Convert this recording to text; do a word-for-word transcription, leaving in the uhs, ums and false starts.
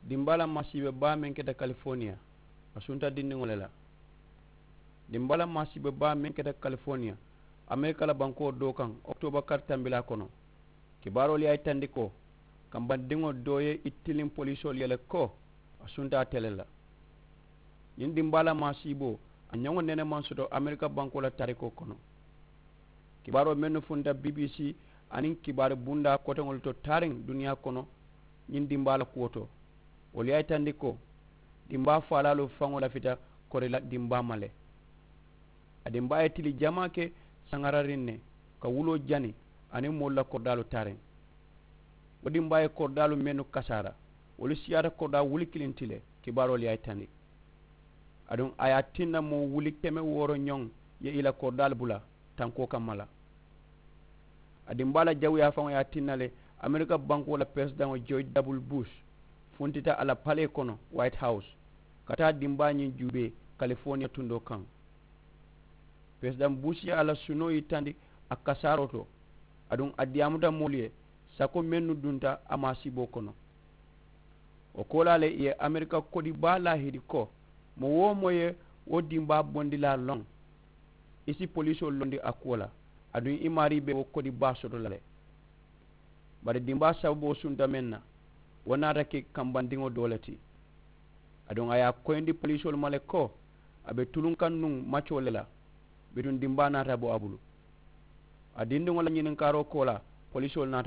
Dimbaa la maasiibe baa meŋ keta kalifoniya, a sunta dindiŋo le la. Dimbaa la maasiibe baa meŋ keta kalifoniya, amerika la bankoo doo kaŋ, okitooba kari tambilaa kono, kibaaroolu ye a yitandi ko kambandiŋo doo ye i tiliŋ polisoolu ye le ko a sunta ate le la. Ñiŋ dimbaa la maasiiboo, a ñoŋo nene maŋ soto amerika bankoo la taarikoo kono. Kibaaroo mennu funta bbc aniŋ kibaari bundaa koteŋolu to taariŋ duniyaa kono, ñiŋ dimbaa la kuwo to, wolu ye a yitandi ko dimbaa faalaalu faŋo lafita kori la dimbaa ma le. A dimbaa ye tili jamaa ke saŋarariŋ ne, ka wuloo jani aniŋ moolu la koridaalu taariŋ. Wo dimbaa ye koridaalu mennu kasaara, wolu siyaata koridaa wuli kiliŋ ti le. Kibaaroolu ye a yitandi. Aduŋ a ye a tinna moo wuli keme wooro ñoŋ ye i la koridaalu bula tankoo kamma la. A dimbaa la jawuyaa faŋo ye a tinna le, amerika bankoo la peresidaŋo joji dabulu bush funtita a la palee kono, wayiti hawusu, ka taa dimbaa ñiŋ juubee kalifoniya tundoo kaŋ. Peresidaŋ bush ye a la sunoo yitandi a kasaaroo to, aduŋ a diyaamuta moolu ye sako mennu dunta a maasiiboo kono. Wo koolaa le ì ye amerika kodi baa laahidi ko moo-wo-moo ye wo dimbaa bondilaa loŋ, i si polisoolu londi a kuwo la, aduŋ i maarii be wo kodi baa soto la le. Bari dimbaa sababoo sunta meŋ na, wo naata ke kambandiŋo doo le ti. Aduŋ a ye a koyindi polisoolu ma le ko a be tuluŋ kaŋ nuŋ macoo le la, bituŋ dimbaa naata bo a bulu. A dindiŋo la ñininkaaroo koolaa, polisoolu naata